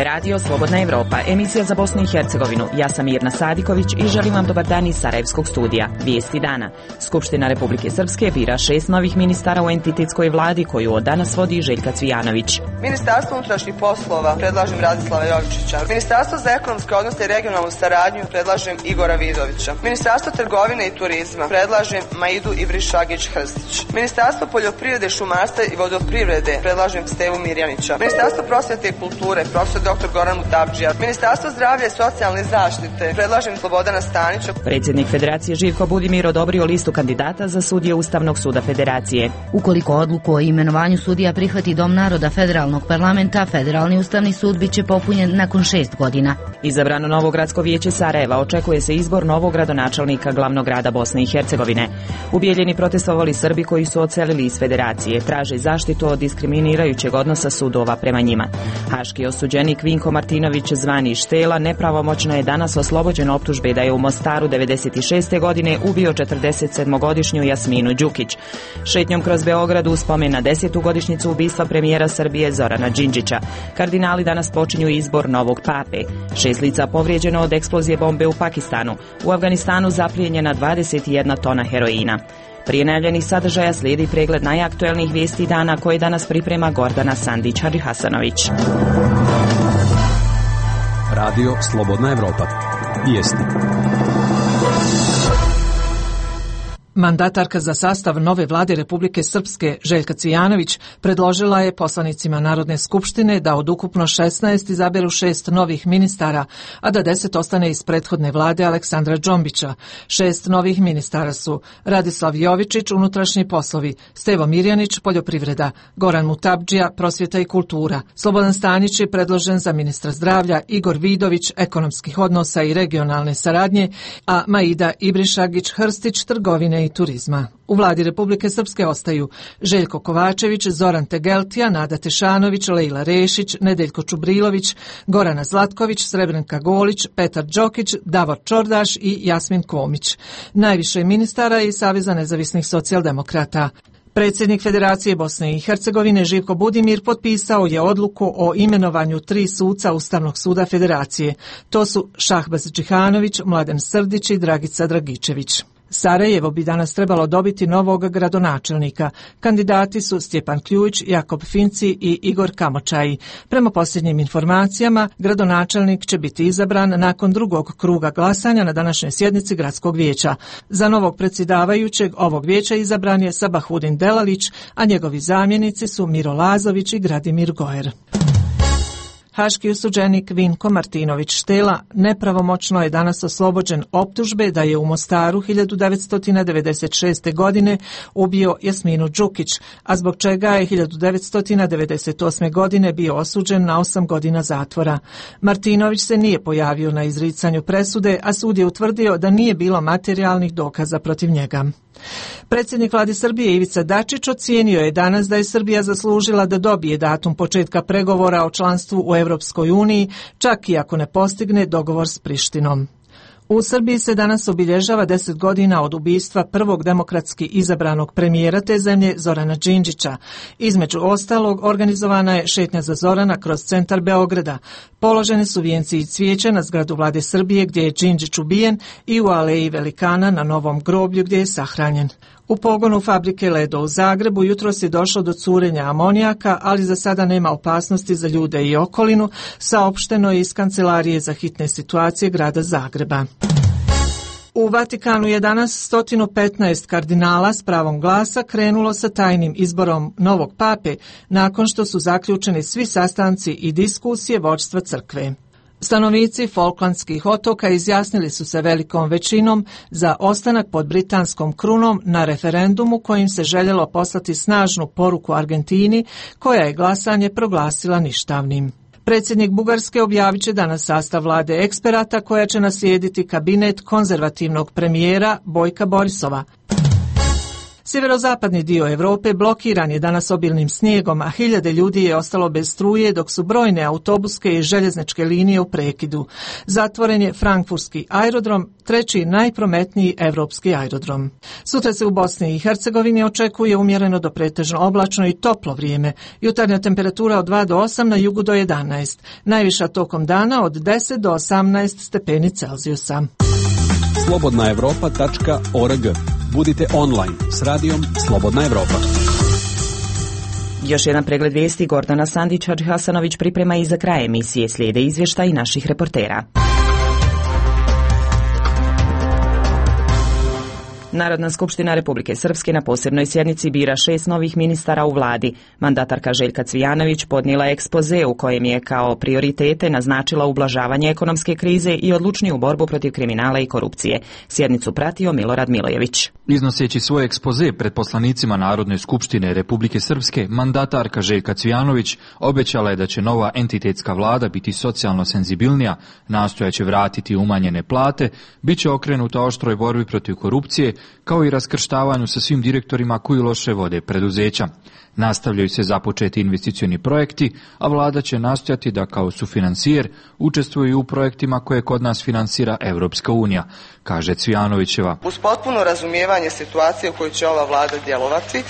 je radio Slobodna Evropa, emisija za Bosnu i Hercegovinu. Ja sam Mirna Sadiković i želim vam dobar dan iz Sarajevskog studija. Vijesti dana. Skupština Republike Srpske bira 6 novih ministara u entitetskoj vladi koju od danas vodi Željka Cvijanović. Ministarstvo unutrašnjih poslova predlažem Radislava Jovičića. Ministarstvo za ekonomske odnose i regionalnu saradnju predlažem Igora Vidovića. Ministarstvo trgovine i turizma predlažem Maidu Ibrišagić-Hrstić. Ministarstvo poljoprivrede, šumarstva i vodoprivrede predlažem Stevu Mirjanića. Ministarstvo prosvjete i kulture profesor dr. Goran Mutabdžija. Ministarstvo zdravlja i socijalne zaštite predlažem Slobodana Stanića. Predsjednik Federacije Živko Budimir odobrio listu kandidata za sudije Ustavnog suda Federacije. Ukoliko odluku o imenovanju sudija prihvati Dom naroda Federalnog parlamenta, Federalni ustavni sud biće popunjen nakon 6 godina. Izabrano novo gradsko vijeće Sarajeva, očekuje se izbor novog gradonačelnika glavnog grada Bosne i Hercegovine. U Bijeljini protestovali Srbi koji su odselili iz Federacije, traže zaštitu od diskriminirajućeg odnosa sudova prema njima. Haški osuđenik Vinko Martinović zvani Štela nepravomoćno je danas oslobođen optužbe da je u Mostaru 96. godine ubio 47-godišnju Jasminu Đukić. Šetnjom kroz Beograd u spomen na 10. godišnjicu ubistva premijera Srbije Zorana Đinđića. Kardinali danas počinju izbor novog pape. 6 lica povrijeđeno od eksplozije bombe u Pakistanu. U Afganistanu zaplijenjena 21 tona heroina. Prije najavljenih sadržaja slijedi pregled najaktuelnijih vijesti dana koje danas priprema Gordana Sandić-Hasanović. Radio Slobodna Evropa. Vijesti. Mandatarka za sastav nove vlade Republike Srpske, Željka Cvijanović, predložila je poslanicima Narodne skupštine da od ukupno 16 izaberu 6 novih ministara, a da 10 ostane iz prethodne vlade Aleksandra Džombića. 6 novih ministara su Radislav Jovičić, unutrašnji poslovi, Stevo Mirjanić, poljoprivreda, Goran Mutabdžija, prosvjeta i kultura, Slobodan Stanić je predložen za ministra zdravlja, Igor Vidović, ekonomskih odnosa i regionalne saradnje, a Maida Ibrišagić-Hrstić, trgovine i turizma. U vladi Republike Srpske ostaju Željko Kovačević, Zoran Tegeltija, Nada Tešanović, Lejla Rešić, Nedeljko Čubrilović, Gorana Zlatković, Srebrenka Golić, Petar Đokić, Davor Čordaš i Jasmin Komić. Najviše ministara je iz Saveza nezavisnih socijaldemokrata. Predsjednik Federacije Bosne i Hercegovine Živko Budimir potpisao je odluku o imenovanju 3 suca Ustavnog suda Federacije. To su Šahbaz Džihanović, Mladen Srdić i Dragica Dragičević. Sarajevo bi danas trebalo dobiti novog gradonačelnika. Kandidati su Stjepan Kljujić, Jakob Finci i Igor Kamočaji. Prema posljednjim informacijama, gradonačelnik će biti izabran nakon drugog kruga glasanja na današnjoj sjednici gradskog vijeća. Za novog predsjedavajućeg ovog vijeća izabran je Sabahudin Delalić, a njegovi zamjenici su Miro Lazović i Gradimir Gojer. Haški osuđenik Vinko Martinović Štela nepravomoćno je danas oslobođen optužbe da je u Mostaru 1996. godine ubio Jasminu Đukić, a zbog čega je 1998. godine bio osuđen na 8 godina zatvora. Martinović se nije pojavio na izricanju presude, a sud je utvrdio da nije bilo materijalnih dokaza protiv njega. Predsjednik vlade Srbije Ivica Dačić ocijenio je danas da je Srbija zaslužila da dobije datum početka pregovora o članstvu u Europskoj uniji, čak i ako ne postigne dogovor s Prištinom. U Srbiji se danas obilježava 10 godina od ubistva prvog demokratski izabranog premijera te zemlje Zorana Đinđića. Između ostalog, organizovana je šetnja za Zorana kroz centar Beograda. Položeni su vijenci i cvijeće na zgradu vlade Srbije gdje je Đinđić ubijen i u aleji Velikana na Novom groblju gdje je sahranjen. U pogonu fabrike Ledo u Zagrebu jutros je došlo do curenja amonijaka, ali za sada nema opasnosti za ljude i okolinu, saopšteno je iz Kancelarije za hitne situacije grada Zagreba. U Vatikanu je danas 115 kardinala s pravom glasa krenulo sa tajnim izborom novog pape nakon što su zaključeni svi sastanci i diskusije vođstva crkve. Stanovnici Falklandskih otoka izjasnili su se velikom većinom za ostanak pod britanskom krunom na referendumu kojim se željelo poslati snažnu poruku Argentini, koja je glasanje proglasila ništavnim. Predsjednik Bugarske objavit će danas sastav vlade eksperata koja će naslijediti kabinet konzervativnog premijera Bojka Borisova. Sjeverozapadni dio Europe blokiran je danas obilnim snijegom, a hiljade ljudi je ostalo bez struje, dok su brojne autobuske i željezničke linije u prekidu. Zatvoren je frankfurtski aerodrom, treći najprometniji evropski aerodrom. Sutra se u Bosni i Hercegovini očekuje umjereno do pretežno oblačno i toplo vrijeme. Jutarnja temperatura od 2 do 8, na jugu do 11. Najviša tokom dana od 10 do 18 stepeni Celzijusa. slobodnaevropa.org. Budite online s radijom Slobodna Evropa. Još jedan pregled vijesti. Gordana Sandić-Hadžihasanović priprema i za kraj emisije. Slijede izvještaj naših reportera. Narodna skupština Republike Srpske na posebnoj sjednici bira 6 novih ministara u vladi. Mandatarka Željka Cvijanović podnijela ekspoze u kojem je kao prioritete naznačila ublažavanje ekonomske krize i odlučniju borbu protiv kriminala i korupcije. Sjednicu pratio Milorad Milojević. Iznoseći svoj ekspoze pred poslanicima Narodne skupštine Republike Srpske, mandatarka Željka Cvijanović obećala je da će nova entitetska vlada biti socijalno senzibilnija, nastojaće vratiti umanjene plate, bit će okrenuta oštroj borbi protiv korupcije, kao i raskrštavanju sa svim direktorima koji loše vode preduzeća. Nastavljaju se započeti investicioni projekti, a vlada će nastojati da kao sufinansijer učestvuju u projektima koje kod nas finansira Evropska unija, kaže Cvijanovićeva. Uz potpuno razumijevanje situacije u kojoj će ova vlada djelovati,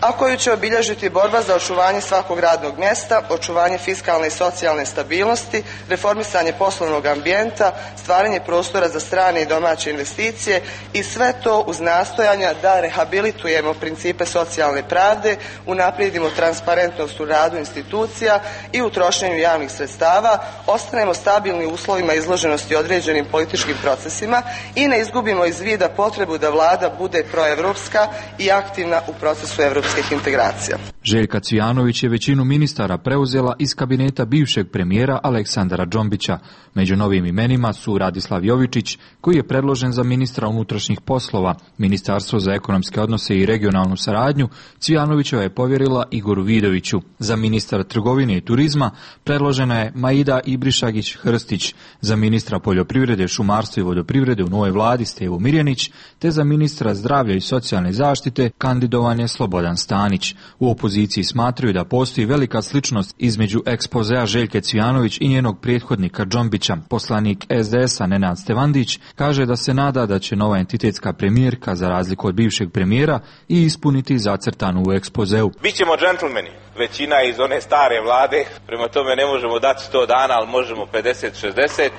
a koju će obilježiti borba za očuvanje svakog radnog mjesta, očuvanje fiskalne i socijalne stabilnosti, reformisanje poslovnog ambijenta, stvaranje prostora za strane i domaće investicije i sve to uz nastojanja da rehabilitujemo principe socijalne pravde, unaprijedimo transparentnost u radu institucija i u trošenju javnih sredstava, ostanemo stabilni u uslovima izloženosti određenim političkim procesima i ne izgubimo iz vida potrebu da vlada bude proevropska i aktivna u procesu evropskih integracija. Željka Cvijanović je većinu ministara preuzela iz kabineta bivšeg premijera Aleksandra Džombića. Među novim imenima su Radislav Jovičić, koji je predložen za ministra unutrašnjih poslova. Ministarstvo za ekonomske odnose i regionalnu saradnju Cvijanovićeva je povjerila Igoru Vidoviću. Za ministra trgovine i turizma predložena je Maida Ibrišagić-Hrstić, za ministra poljoprivrede, šumarstva i vodoprivrede u novoj vladi Stevo Mirjanić, te za ministra zdravlja i socijalne zaštite kandidovan je Slobodan Stanić. U opoziciji smatraju da postoji velika sličnost između ekspozea Željke Cvijanović i njenog prethodnika Džombića. Poslanik SDS-a Nenad Stevandić kaže da se nada da će nova entitetska premijerka, za razliku od bivšeg premijera, i ispuniti zacrtanu u ekspozeu. Bićemo džentlmeni. Većina iz one stare vlade, prema tome ne možemo dati 100 dana, ali možemo 50-60.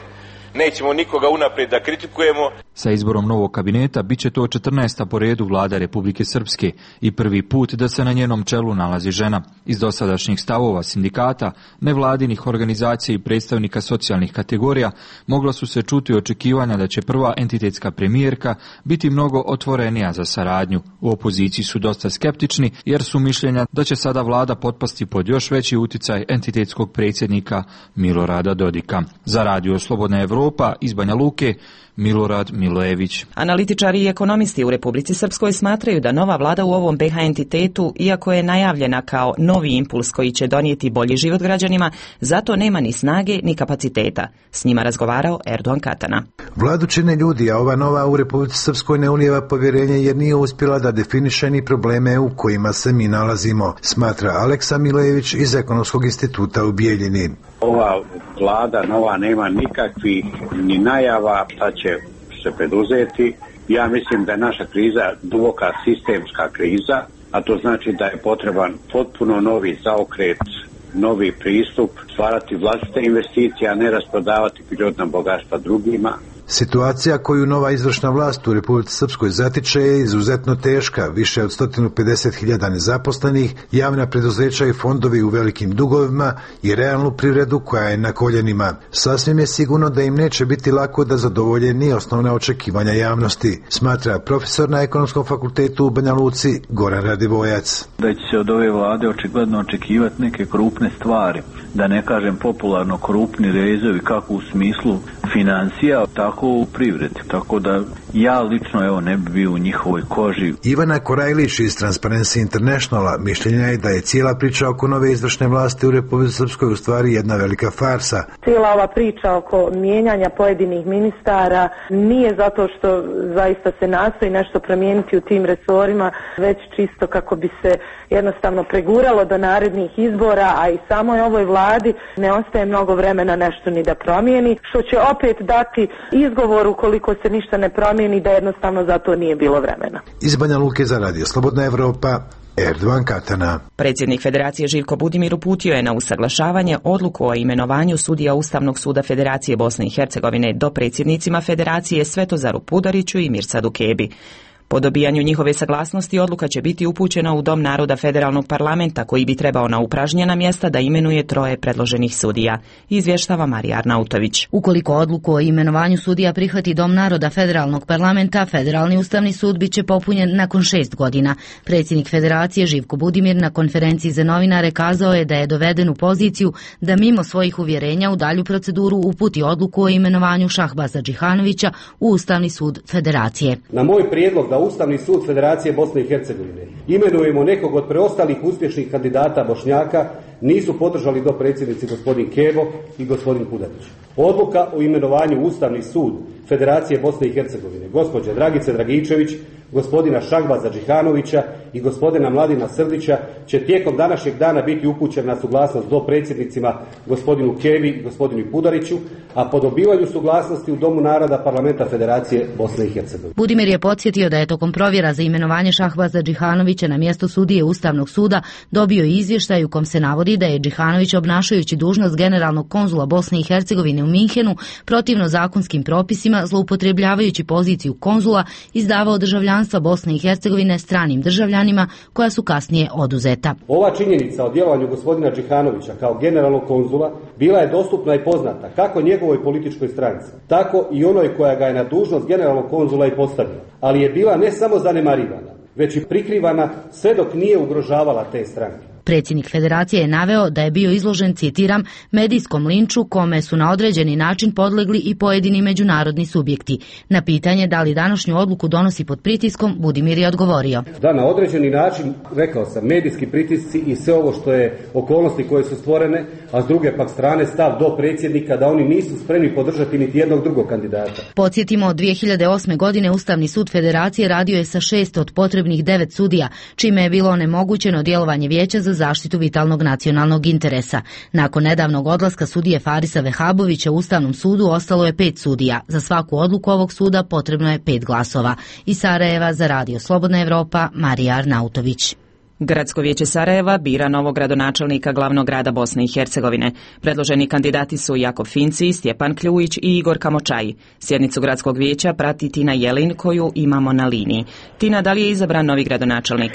Nećemo nikoga unaprijed da kritikujemo. Sa izborom novog kabineta bit će to 14. po redu vlada Republike Srpske i prvi put da se na njenom čelu nalazi žena. Iz dosadašnjih stavova sindikata, nevladinih organizacija i predstavnika socijalnih kategorija mogla su se čuti očekivanja da će prva entitetska premijerka biti mnogo otvorenija za saradnju. U opoziciji su dosta skeptični jer su mišljenja da će sada vlada potpasti pod još veći uticaj entitetskog predsjednika Milorada Dodika. Za Radio Slobodna Evropa iz Banja Luke, Milorad Milojević. Analitičari i ekonomisti u Republici Srpskoj smatraju da nova vlada u ovom BiH entitetu, iako je najavljena kao novi impuls koji će donijeti bolji život građanima, zato nema ni snage ni kapaciteta. S njima razgovarao Erdogan Katana. Vladu čine ljudi, a ova nova u Republici Srpskoj ne ulijeva povjerenje jer nije uspjela da definiše ni probleme u kojima se mi nalazimo, smatra Aleksa Milojević iz Ekonomskog instituta u Bijeljini. Ova vlada nova nema nikakvih ni najava šta će se preduzeti. Ja mislim da je naša kriza duboka sistemska kriza, a to znači da je potreban potpuno novi zaokret, novi pristup, stvarati vlastite investicije, a ne rasprodavati prirodna bogatstva drugima. Situacija koju nova izvršna vlast u Republici Srpskoj zatiče je izuzetno teška, više od 150.000 nezaposlenih, javna preduzeća i fondovi u velikim dugovima i realnu privredu koja je na koljenima. Sasvim je sigurno da im neće biti lako da zadovolje ni osnovna očekivanja javnosti, smatra profesor na Ekonomskom fakultetu u Banja Luci Goran Radivojac. Da će se od ove vlade očigledno očekivati neke krupne stvari, da ne kažem popularno krupni rezovi kako u smislu financija, tako u privredi. Tako da Ja lično ne bi bio u njihovoj koži. Ivana Korajlić iz Transparency Internationala mišljenja je da je cijela priča oko nove izvršne vlasti u Republici Srpskoj u stvari jedna velika farsa. Cijela ova priča oko mijenjanja pojedinih ministara nije zato što zaista se nastoji nešto promijeniti u tim resorima, već čisto kako bi se jednostavno preguralo do narednih izbora, a i samoj ovoj vladi ne ostaje mnogo vremena nešto ni da promijeni, što će opet dati izgovor ukoliko se ništa ne promijeni da jednostavno za to nije bilo vremena. Iz Banja Luke za Radio Slobodna Evropa, Erdovan Katana. Predsjednik Federacije Živko Budimir uputio je na usaglašavanje odluku o imenovanju sudija Ustavnog suda Federacije Bosne i Hercegovine do predsjednicima Federacije Svetozaru Pudariću i Mirsadu Kebi. Po dobijanju njihove saglasnosti odluka će biti upućena u Dom naroda Federalnog parlamenta koji bi trebao na upražnjena mjesta da imenuje 3 predloženih sudija, izvještava Marija Arnautović. Ukoliko odluku o imenovanju sudija prihvati Dom naroda Federalnog parlamenta, Federalni ustavni sud biće popunjen nakon 6 godina. Predsjednik Federacije Živko Budimir na konferenciji za novinare kazao je da je doveden u poziciju da mimo svojih uvjerenja u dalju proceduru uputi odluku o imenovanju Šahbaza Džihanovića u Ustavni sud Federacije. Na moj prijedlog da Ustavni sud Federacije Bosne i Hercegovine imenujemo nekog od preostalih uspješnih kandidata Bošnjaka nisu podržali dopredsjednici gospodin Kebo i gospodin Pudarić. Odluka o imenovanju Ustavni sud Federacije Bosne i Hercegovine gospođe Dragice Dragičević, gospodina Šahbaza Džihanovića i gospodina Mladina Srdića će tijekom današnjeg dana biti upućen na suglasnost dopredsjednicima gospodinu Kebi i gospodinu Pudariću, a po dobivanju suglasnosti u Domu naroda Parlamenta Federacije Bosne i Hercegovine. Budimir je podsjetio da je tokom provjera za imenovanje Šahbaza Džihanovića na mjesto sudije Ustavnog suda dobio izvještaj u kom se navodi da je Džihanović obnašajući dužnost generalnog konzula Bosne i Hercegovine u Minhenu protivno zakonskim propisima, zloupotrebljavajući poziciju konzula, izdavao državljanstva Bosne i Hercegovine stranim državljanima koja su kasnije oduzeta. Ova činjenica o djelovanju gospodina Džihanovića kao generalnog konzula bila je dostupna i poznata kako njegovoj političkoj stranci, tako i onoj koja ga je na dužnost generalnog konzula i postavila, ali je bila ne samo zanemarivana, već i prikrivana sve dok nije ugrožavala te stranke. Predsjednik Federacije je naveo da je bio izložen, citiram, medijskom linču kome su na određeni način podlegli i pojedini međunarodni subjekti. Na pitanje da li današnju odluku donosi pod pritiskom, Budimir je odgovorio. Da, na određeni način, rekao sam, medijski pritisci i sve ovo što je okolnosti koje su stvorene, a s druge pak strane stav do predsjednika da oni nisu spremni podržati niti jednog drugog kandidata. Podsjetimo, od 2008. godine Ustavni sud Federacije radio je sa 6 od potrebnih 9 sudija, čime je bilo onemogućeno djelovanje Vijeća za zaštitu vitalnog nacionalnog interesa. Nakon nedavnog odlaska sudije Farisa Vehabovića u Ustavnom sudu ostalo je 5 sudija. Za svaku odluku ovog suda potrebno je 5 glasova. Iz Sarajeva za Radio Slobodna Evropa, Marija Arnautović. Gradsko vijeće Sarajeva bira novog gradonačelnika glavnog grada Bosne i Hercegovine. Predloženi kandidati su Jakov Finci, Stjepan Kljujić i Igor Kamočaj. Sjednicu gradskog vijeća prati Tina Jelin koju imamo na liniji. Tina, da li je izabran novi gradonačelnik?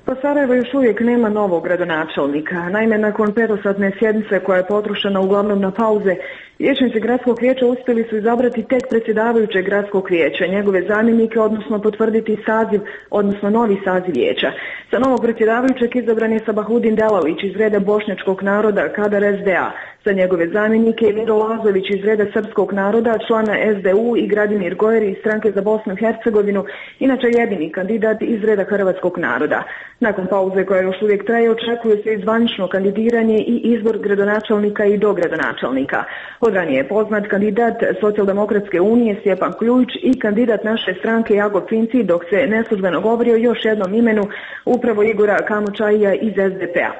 Pa Sarajevo još uvijek nema novog gradonačelnika. Naime, nakon 5-satne sjednice koja je potrošena uglavnom na pauze, vijećnici gradskog vijeća uspjeli su izabrati tek predsjedavajućeg gradskog vijeća, njegove zamjenike, odnosno potvrditi saziv, odnosno novi saziv vijeća. Za novog predsjedavajućeg izabran je Sabahudin Delalić iz reda bošnjačkog naroda, kadar SDA. Za njegove zamjenike je Miro Lazović iz reda srpskog naroda, člana SDU, i Gradimir Gojeri iz stranke za Bosnu i Hercegovinu, inače jedini kandidat iz reda hrvatskog naroda. Nakon pauze koja još uvijek traje, očekuje se i zvanično kandidiranje i izbor gradonačelnika i dogradonačelnika. Od ranije je poznat kandidat Socijaldemokratske unije Stjepan Kljujić i kandidat naše stranke Jakov Finci, dok se neslužbeno govorio još jednom imenu upravo Igora Kamočaja iz SDP-a.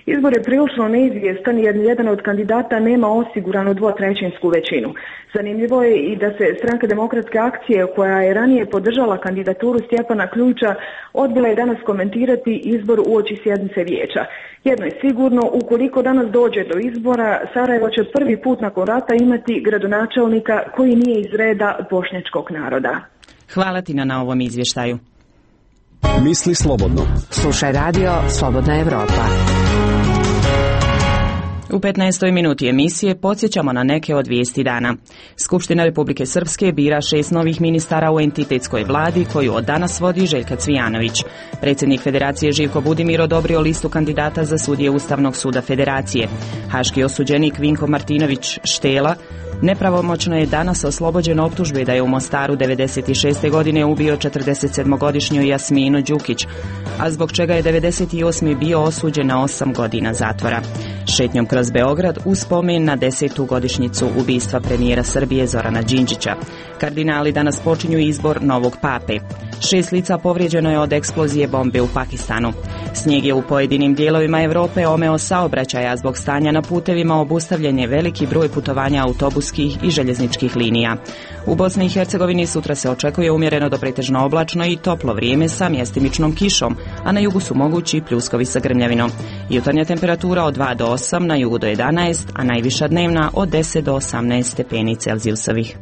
Izbor je prilično neizvjestan jer jedan od kandidata nema osiguranu 2/3 većinu. Zanimljivo je i da se Stranka demokratske akcije, koja je ranije podržala kandidaturu Stjepana Kljujića, odbila je danas komentirati izbor uoči sjednice vijeća. Jedno je sigurno, ukoliko danas dođe do izbora, Sarajevo će prvi put nakon rata imati gradonačelnika koji nije iz reda bošnjačkog naroda. Hvala ti na ovom izvještaju. Misli slobodno. Slušaj radio Slobodna Evropa. U 15. minuti emisije podsjećamo na neke od vijesti dana. Skupština Republike Srpske bira 6 novih ministara u entitetskoj vladi koju od danas vodi Željka Cvijanović. Predsjednik Federacije Živko Budimir odobrio listu kandidata za sudije Ustavnog suda Federacije. Haški osuđenik Vinko Martinović Štela Nepravomoćno je danas oslobođen optužbe da je u Mostaru 96. godine ubio 47-godišnju Jasminu Đukić, a zbog čega je 98. bio osuđen na 8 godina zatvora. Šetnjom kroz Beograd u spomen na 10. godišnjicu ubistva premijera Srbije Zorana Đinđića. Kardinali danas počinju izbor novog pape. 6 lica povrijeđeno je od eksplozije bombe u Pakistanu. Snijeg je u pojedinim dijelovima Europe omeo saobraćaja, zbog stanja na putevima obustavljen je veliki broj putovanja autobuskih i željezničkih linija. U Bosni i Hercegovini sutra se očekuje umjereno do pretežno oblačno i toplo vrijeme sa mjestimičnom kišom, a na jugu su mogući pljuskovi sa grmljavinom. Jutarnja temperatura od 2 do 8, na jugu do 11, a najviša dnevna od 10 do 18 stepeni Celzijusovih.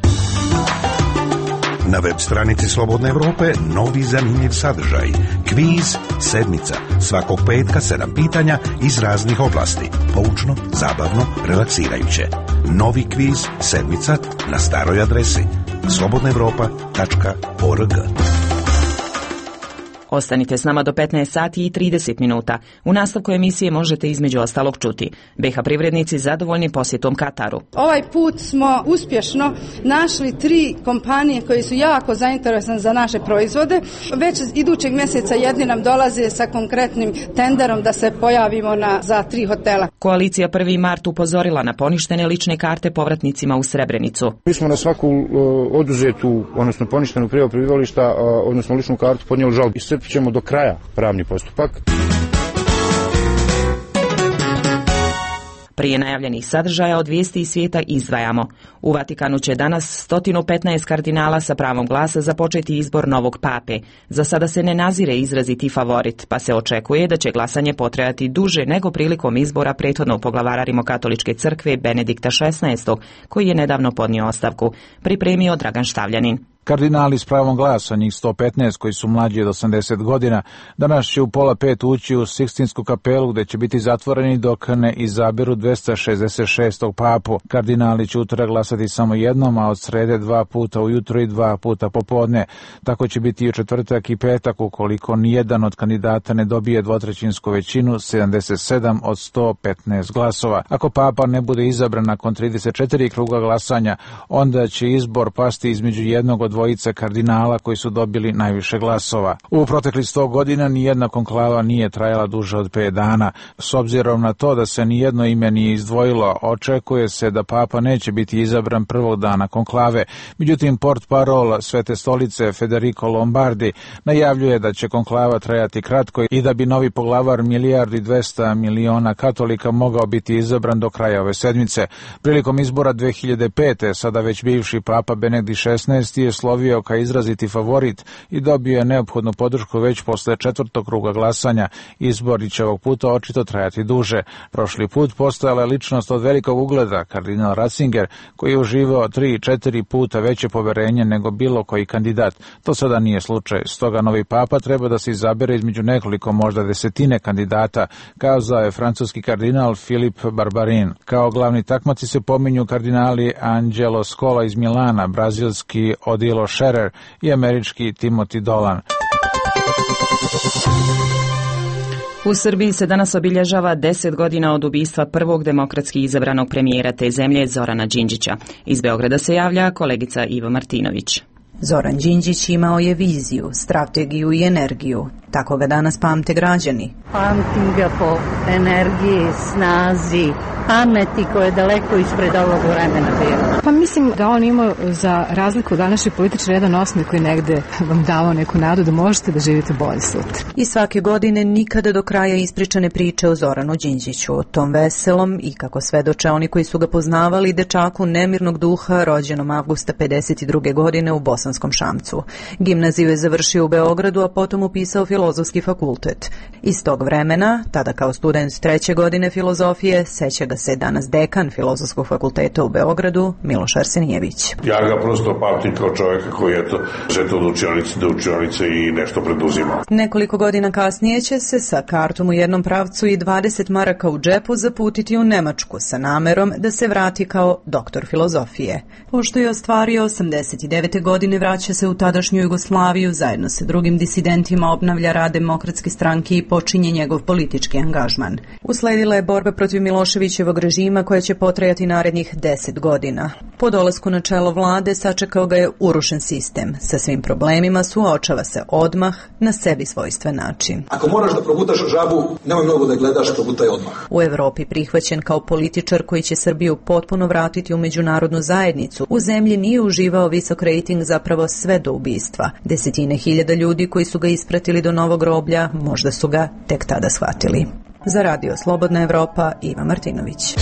Na web stranici Slobodne Evrope novi zanimljiv sadržaj. Kviz sedmica. Svakog petka 7 pitanja iz raznih oblasti. Poučno, zabavno, relaksirajuće. Novi kviz sedmica na staroj adresi slobodnaevropa.org. Ostanite s nama do 15 sati i 30 minuta. U nastavku emisije možete između ostalog čuti: BiH privrednici zadovoljni posjetom Kataru. Ovaj put smo uspješno našli 3 kompanije koje su jako zainteresovane za naše proizvode. Već idućeg mjeseca jedni nam dolaze sa konkretnim tenderom da se pojavimo za 3 hotela. Koalicija 1. mart upozorila na poništene lične karte povratnicima u Srebrenicu. Mi smo na svaku oduzetu, odnosno poništenu prijavu prebivališta, odnosno ličnu kartu podnijeli žalbu. Ćemo do kraja pravni postupak. Prije najavljenih sadržaja od vijesti iz svijeta izdvajamo. U Vatikanu će danas 115 kardinala sa pravom glasa započeti izbor novog pape. Za sada se ne nazire izraziti favorit, pa se očekuje da će glasanje potrajati duže nego prilikom izbora prethodnog poglavara Rimokatoličke crkve Benedikta XVI, koji je nedavno podnio ostavku. Pripremio Dragan Štavljanin. Kardinali s pravom glasa, njih 115 koji su mlađi od 80 godina, danas će u 4:30 ući u Sikstinsku kapelu gdje će biti zatvoreni dok ne izaberu 266. papu. Kardinali će utorak glasati samo jednom, a od srede 2 puta ujutro i 2 puta popodne. Tako će biti i u četvrtak i petak ukoliko nijedan od kandidata ne dobije dvotrećinsku većinu, 77 od 115 glasova. Ako papa ne bude izabran nakon 34 kruga glasanja, onda će izbor pasti između jednog od dvojice kardinala koji su dobili najviše glasova. U proteklih 100 godina nijedna konklava nije trajala duže od 5 dana. S obzirom na to da se nijedno ime nije izdvojilo, očekuje se da papa neće biti izabran prvog dana konklave. Međutim, portparol Svete stolice Federico Lombardi najavljuje da će konklava trajati kratko i da bi novi poglavar 1,2 milijardi katolika mogao biti izabran do kraja ove sedmice. Prilikom izbora 2005. sada već bivši papa Benedikt XVI je slovio kao izraziti favorit i dobio je neophodnu podršku već posle 4. kruga glasanja. Izbori će ovog puta očito trajati duže. Prošli put postojala je ličnost od velikog ugleda, kardinal Ratzinger, koji je uživao 3-4 puta veće poverenje nego bilo koji kandidat. To sada nije slučaj. Stoga novi papa treba da se izabere između nekoliko, možda desetine kandidata, kazao je francuski kardinal Filip Barbarin. Kao glavni takmaci se pominju kardinali Angelo Scola iz Milana, brazilski Odilo Scherer i američki Timothy Dolan. U Srbiji se danas obilježava 10 godina od ubistva prvog demokratski izabranog premijera te zemlje Zorana Đinđića. Iz Beograda se javlja kolegica Iva Martinović. Zoran Đinđić imao je viziju, strategiju i energiju. Tako ga danas pamte građani. Pamtim ga po energiji, snazi, pameti koja je daleko ispred ovog vremena bila. Pa mislim da on imao, za razliku od današnjih političara, jedan osmeh koji negde vam davao neku nadu da možete da živite bolje sutra. I svake godine nikada do kraja ispričane priče o Zoranu Đinđiću, o tom veselom i, kako svedoče oni koji su ga poznavali, dečaku nemirnog duha, rođenom avgusta 52. godine u Bosanskom Šamcu. Gimnaziju je završio u Beogradu, a potom upisao Filozofski fakultet. Iz tog vremena, tada kao student 3. godine filozofije, seća ga se danas dekan Filozofskog fakulteta u Beogradu, Miloš Arsenijević. Ja ga prosto pamtim kao čovjeka koji je žeto od učionice do učionice i nešto preduzima. Nekoliko godina kasnije će se sa kartom u jednom pravcu i 20 maraka u džepu zaputiti u Nemačku sa namerom da se vrati kao doktor filozofije. Pošto je ostvario 89. godine, vraća se u tadašnju Jugoslaviju, zajedno sa drugim disidentima obnavlja predstavlja rad Demokratske stranke i počinje njegov politički angažman. Usledila je borba protiv Miloševićevog režima koja će potrajati narednih 10 godina. Po dolasku na čelo vlade sačekao ga je urušen sistem. Sa svim problemima suočava se odmah na sebi svojstven način. Ako moraš da progutaš žabu, nemoj mnogo da gledaš, progutaj odmah. U Evropi prihvaćen kao političar koji će Srbiju potpuno vratiti u međunarodnu zajednicu, u zemlji nije uživao visok rejting zapravo sve do ubistva. Desetine hiljada ljudi koji su ga ispratili do novog groblja možda su ga tek tada shvatili. Za Radio Slobodna Evropa, Iva Martinović.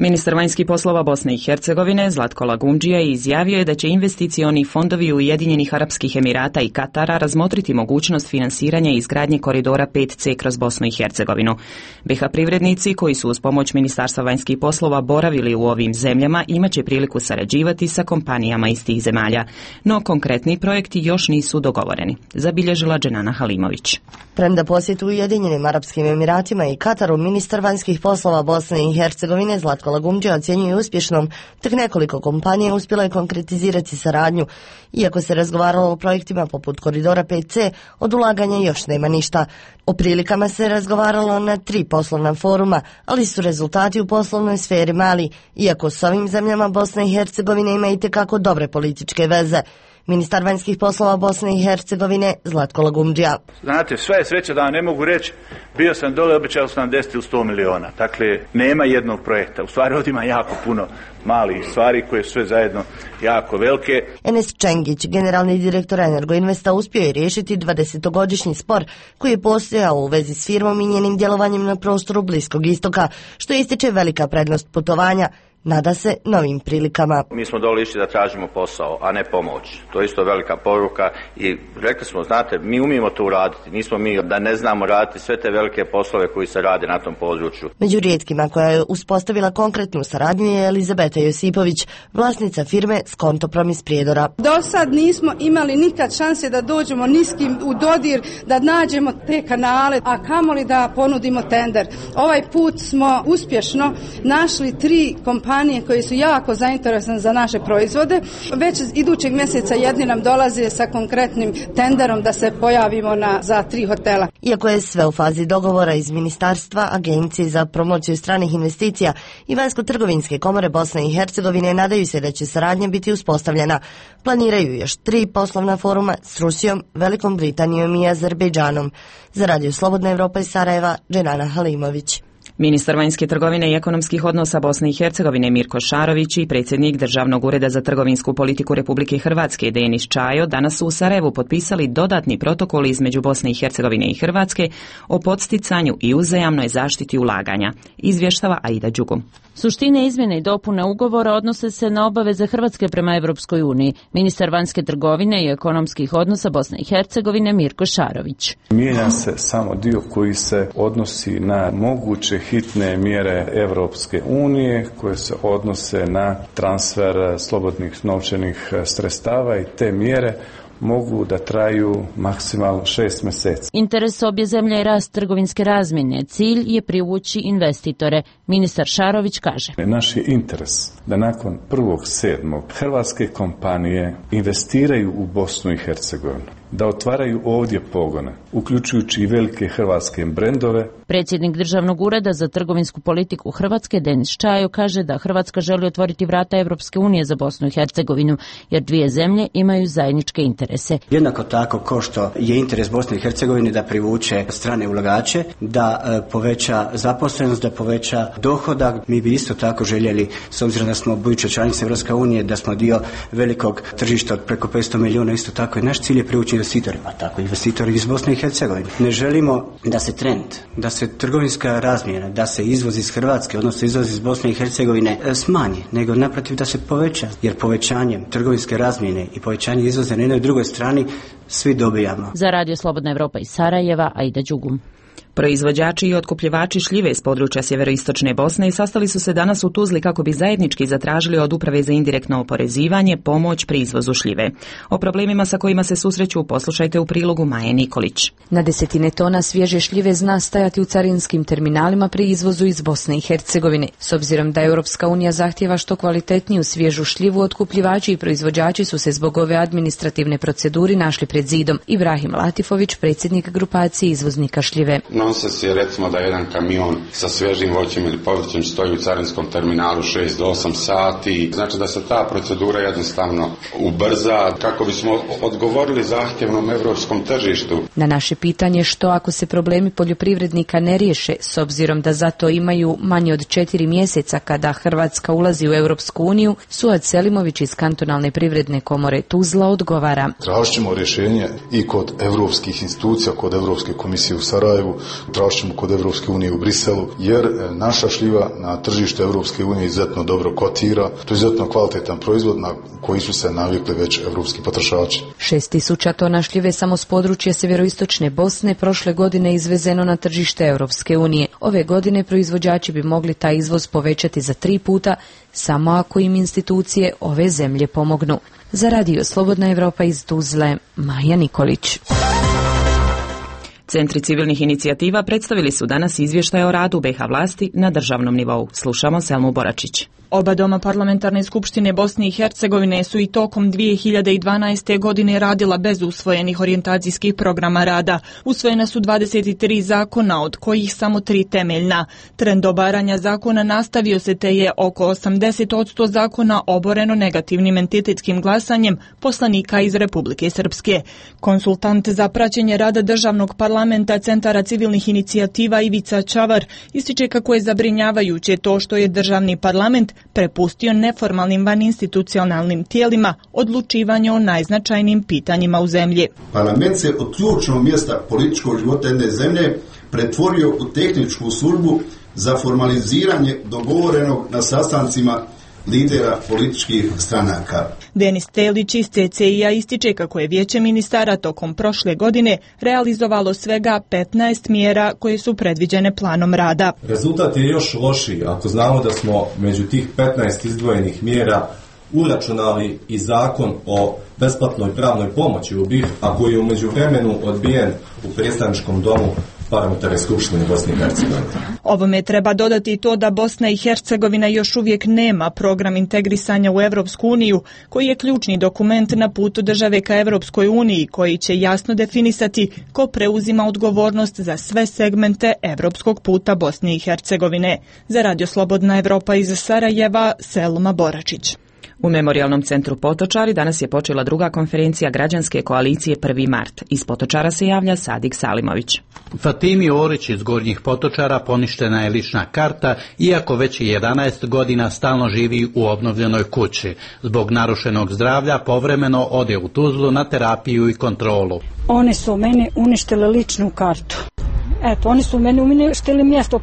Ministar vanjskih poslova Bosne i Hercegovine Zlatko Lagundžija izjavio je da će investicioni fondovi Ujedinjenih Arapskih Emirata i Katara razmotriti mogućnost finansiranja i izgradnje koridora 5C kroz Bosnu i Hercegovinu. BiH privrednici koji su uz pomoć Ministarstva vanjskih poslova boravili u ovim zemljama imaće priliku sarađivati sa kompanijama iz tih zemalja, no konkretni projekti još nisu dogovoreni, zabilježila Dženana Halimović. Premda posjetu Ujedinjenim Arapskim Emiratima i Kataru, ministar vanjskih poslova Bosne i Hercegovine Zlatko Lagundžija ocjenjuje uspješnom, tek nekoliko kompanija uspjelo je konkretizirati saradnju. Iako se razgovaralo o projektima poput koridora 5C, od ulaganja još nema ništa. O prilikama se razgovaralo na 3 poslovna foruma, ali su rezultati u poslovnoj sferi mali, iako s ovim zemljama Bosna i Hercegovine ima itekako dobre političke veze. Ministar vanjskih poslova Bosne i Hercegovine Zlatko Lagundžija. Znate, sve je sreća da ne mogu reći, bio sam dole, obećao sam 10 ili 100 miliona. Dakle, nema jednog projekta. U stvari ovdje ima jako puno malih stvari koje su sve zajedno jako velike. Enes Čengić, generalni direktor Energoinvesta, uspio je riješiti 20-godišnji spor koji je postojao u vezi s firmom i njenim djelovanjem na prostoru Bliskog istoka, što ističe velika prednost putovanja. Nada se novim prilikama. Mi smo dole išli da tražimo posao, a ne pomoć. To je isto velika poruka i rekli smo, znate, mi umijemo to uraditi. Nismo mi da ne znamo raditi sve te velike poslove koji se rade na tom području. Među rijetkima koja je uspostavila konkretnu saradnju je Elizabeta Josipović, vlasnica firme Skontoprom iz Prijedora. Do sad nismo imali nikad šanse da dođemo niskim u dodir, da nađemo te kanale, a kamoli da ponudimo tender. Ovaj put smo uspješno našli 3 kompanije koje su jako zainteresovane za naše proizvode. Već idućeg mjeseca jedni nam dolaze sa konkretnim tenderom da se pojavimo za 3 hotela. Iako je sve u fazi dogovora iz Ministarstva, Agencije za promociju stranih investicija i Vanjsko-trgovinske komore Bosne i Hercegovine nadaju se da će saradnja biti uspostavljena. Planiraju još 3 poslovna foruma s Rusijom, Velikom Britanijom i Azerbejdžanom. Za Radio Slobodna Evropa iz Sarajeva, Dženana Halimović. Ministar vanjske trgovine i ekonomskih odnosa Bosne i Hercegovine Mirko Šarović i predsjednik Državnog ureda za trgovinsku politiku Republike Hrvatske Denis Čajo danas su u Sarajevu potpisali dodatni protokol između Bosne i Hercegovine i Hrvatske o podsticanju i uzajamnoj zaštiti ulaganja, izvještava Aida Đugum. Suštine izmjene i dopune ugovora odnose se na obaveze Hrvatske prema Europskoj uniji. Ministar vanjske trgovine i ekonomskih odnosa Bosne i Hercegovine Mirko Šarović. Mijenja se samo dio koji se odnosi na moguće hitne mjere Europske unije koje se odnose na transfer slobodnih novčanih sredstava i te mjere mogu da traju maksimalno 6 mjeseci. Interes obje zemlje je rast trgovinske razmjene. Cilj je privući investitore. Ministar Šarović kaže. Naš je interes da nakon 1.7. hrvatske kompanije investiraju u Bosnu i Hercegovinu, da otvaraju ovdje pogone, uključujući i velike hrvatske brendove. Predsjednik Državnog ureda za trgovinsku politiku Hrvatske Denis Čajo kaže da Hrvatska želi otvoriti vrata Europske unije za Bosnu i Hercegovinu, jer dvije zemlje imaju zajedničke interese. Jednako tako kao što je interes Bosne i Hercegovine da privuče strane ulagače, da poveća zaposlenost, da poveća dohodak. Mi bi isto tako željeli, s obzirom da smo buduća članica Europske unije, da smo dio velikog tržišta od preko 500 milijuna, isto tako i naš cilj je privući investitori, pa tako investitori iz Bosne i Hercegovine. Ne želimo da se trend, da se trgovinska razmjena, da se izvoz iz Hrvatske, odnosno izvoz iz Bosne i Hercegovine smanji, nego naprotiv da se poveća, jer povećanjem trgovinske razmjene i povećanje izvoza na jednoj i drugoj strani svi dobijamo. Za Radio Slobodna Evropa iz Sarajeva, Aida Đugum. Proizvođači i otkupljivači šljive iz područja sjeveroistočne Bosne sastali su se danas u Tuzli kako bi zajednički zatražili od Uprave za indirektno oporezivanje pomoć pri izvozu šljive. O problemima sa kojima se susreću poslušajte u prilogu Maje Nikolić. Na desetine tona svježe šljive zna stajati u carinskim terminalima pri izvozu iz Bosne i Hercegovine. S obzirom da Europska unija zahtijeva što kvalitetniju svježu šljivu, otkupljivači i proizvođači su se zbog ove administrativne proceduri našli pred zidom. Ibrahim Latifović, predsjednik grupacije izvoznika šljive. Nonsens je recimo da jedan kamion sa svježim voćem ili povrćem stoji u carinskom terminalu 6 do 8 sati. Znači da se ta procedura jednostavno ubrza kako bismo odgovorili zahtjevnom europskom tržištu. Na naše pitanje što ako se problemi poljoprivrednika ne riješe, s obzirom da zato imaju manje od 4 mjeseca kada Hrvatska ulazi u Europsku uniju, Suad Selimović iz kantonalne privredne komore Tuzla odgovara. Tražit ćemo rješenje i kod europskih institucija, kod Europske komisije u Sarajevu, tražit ćemo kod Europske unije u Briselu, jer naša šljiva na tržištu Europske unije izuzetno dobro kotira. To je izuzetno kvalitetan proizvod na koji su se navikli već europski potrošači. 6.000 tona šljive samo s područja sjeveroistočne Bosne prošle godine izvezeno na tržište Europske unije. Ove godine proizvođači bi mogli taj izvoz povećati za 3 puta, samo ako im institucije ove zemlje pomognu. Za Radio Slobodna Evropa iz Tuzle, Maja Nikolić. Centri civilnih inicijativa predstavili su danas izvještaj o radu BiH vlasti na državnom nivou. Slušamo Selmu Boračić. Oba doma Parlamentarne skupštine Bosne i Hercegovine su i tokom 2012. godine radila bez usvojenih orijentacijskih programa rada. Usvojena su 23 zakona, od kojih samo 3 temeljna. Trend obaranja zakona nastavio se, te je oko 80% zakona oboreno negativnim entitetskim glasanjem poslanika iz Republike Srpske. Konsultant za praćenje rada državnog parlamenta Centara civilnih inicijativa Ivica Čavar ističe kako je zabrinjavajuće to što je državni parlament prepustio neformalnim vaninstitucionalnim tijelima odlučivanje o najznačajnijim pitanjima u zemlji. Parlament se od ključnog mjesta političkog života jedne zemlje pretvorio u tehničku službu za formaliziranje dogovorenog na sastancima lidera političkih stranaka. Denis Telić iz CCI-a ističe kako je Vijeće ministara tokom prošle godine realizovalo svega 15 mjera koje su predviđene planom rada. Rezultat je još lošiji ako znamo da smo među tih 15 izdvojenih mjera uračunali i zakon o besplatnoj pravnoj pomoći u BiH, a koji je u međuvremenu odbijen u predstavničkom domu Parlamentarne skupštine Bosne i Hercegovine. Ovome treba dodati to da Bosna i Hercegovina još uvijek nema program integrisanja u Europsku uniju, koji je ključni dokument na putu države ka Europskoj uniji, koji će jasno definisati ko preuzima odgovornost za sve segmente europskog puta Bosne i Hercegovine. Za Radio Slobodna Evropa iz Sarajeva, Selma Boračić. U Memorijalnom centru Potočari danas je počela druga konferencija građanske koalicije 1. mart. Iz Potočara se javlja Sadik Salimović. Fatimi Orić iz Gornjih Potočara poništena je lična karta, iako već 11 godina stalno živi u obnovljenoj kući. Zbog narušenog zdravlja povremeno ode u Tuzlu na terapiju i kontrolu. Oni su meni uništili ličnu kartu. Eto, oni su meni uništili mjesto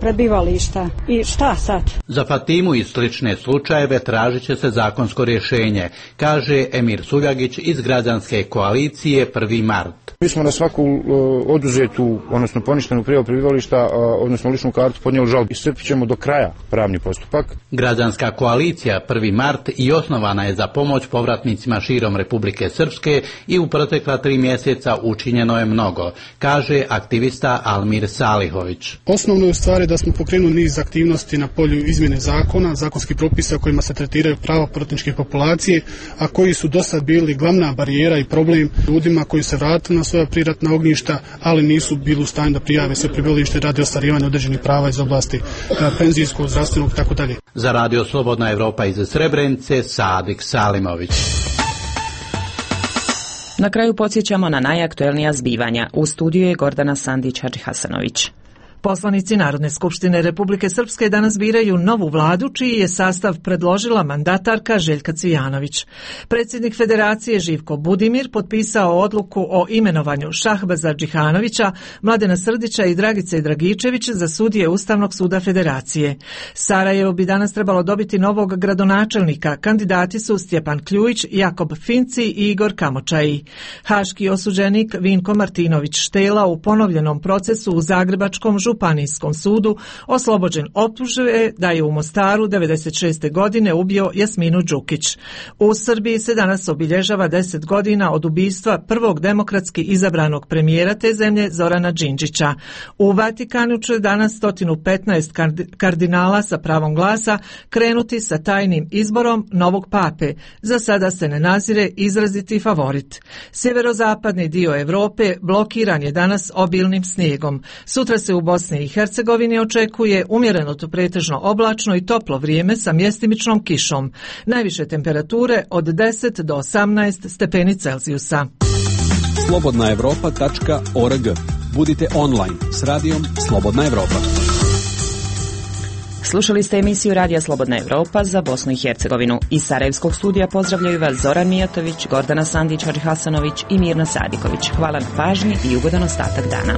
prebivališta. I šta sad? Za Fatimu i slične slučajeve tražit će se zakonsko rješenje, kaže Emir Suljagić iz građanske koalicije 1. mart. Mi smo na svaku oduzetu, odnosno poništenu prijavu prebivališta, odnosno ličnu kartu podnijeli žalbu. Iscrpit ćemo do kraja pravni postupak. Građanska koalicija 1. mart i osnovana je za pomoć povratnicima širom Republike Srpske i u protekla 3 mjeseca učinjeno je mnogo, kaže aktivista Almir Salihović. Osnovno je u stvari da smo pokrenuli niz aktivnosti na polju izmjene zakona, zakonskih propisa kojima se tretiraju prava povratničke populacije, a koji su dosad bili glavna barijera i problem ljudima koji se vratili na svoja priratna ognjišta, ali nisu bili u stanju da prijave sve prebivalište radi ostvarivanja određenih prava iz oblasti penzijskog, zdravstvenog itd. Za Radio Slobodna Evropa iz Srebrenice, Sadik Salimović. Na kraju podsjećamo na najaktuelnija zbivanja. U studiju je Gordana Sandić-Hadžihasanović. Poslanici Narodne skupštine Republike Srpske danas biraju novu vladu, čiji je sastav predložila mandatarka Željka Cvijanović. Predsjednik Federacije Živko Budimir potpisao odluku o imenovanju Šahbaza Džihanovića, Mladena Srdića i Dragice Dragičević za sudije Ustavnog suda Federacije. Sarajevo bi danas trebalo dobiti novog gradonačelnika. Kandidati su Stjepan Kljujić, Jakob Finci i Igor Kamočaji. Haški osuđenik Vinko Martinović Štela u ponovljenom procesu u Zagrebačkom županijskom sudu oslobođen optužbe da je u Mostaru 96. godine ubio Jasminu Đukić. U Srbiji se danas obilježava 10 godina od ubistva prvog demokratski izabranog premijera te zemlje Zorana Đinđića. U Vatikanu će danas 115 kardinala sa pravom glasa krenuti sa tajnim izborom novog pape. Za sada se ne nazire izraziti favorit. Sjeverozapadni dio Europe blokiran je danas obilnim snijegom. Sutra se u Bosni i Hercegovini očekuje umjereno to pretežno oblačno i toplo vrijeme sa mjestimičnom kišom. Najviše temperature od 10 do 18 stepeni Celzijusa. Slobodnaevropa.org. Budite online s radijom Slobodna Evropa. Slušali ste emisiju Radija Slobodna Evropa za Bosnu i Hercegovinu. Iz Sarajevskog studija pozdravljaju vas Zoran Mijatović, Gordana Sandić-Hasanović i Mirna Sadiković. Hvala na pažnji i ugodan ostatak dana.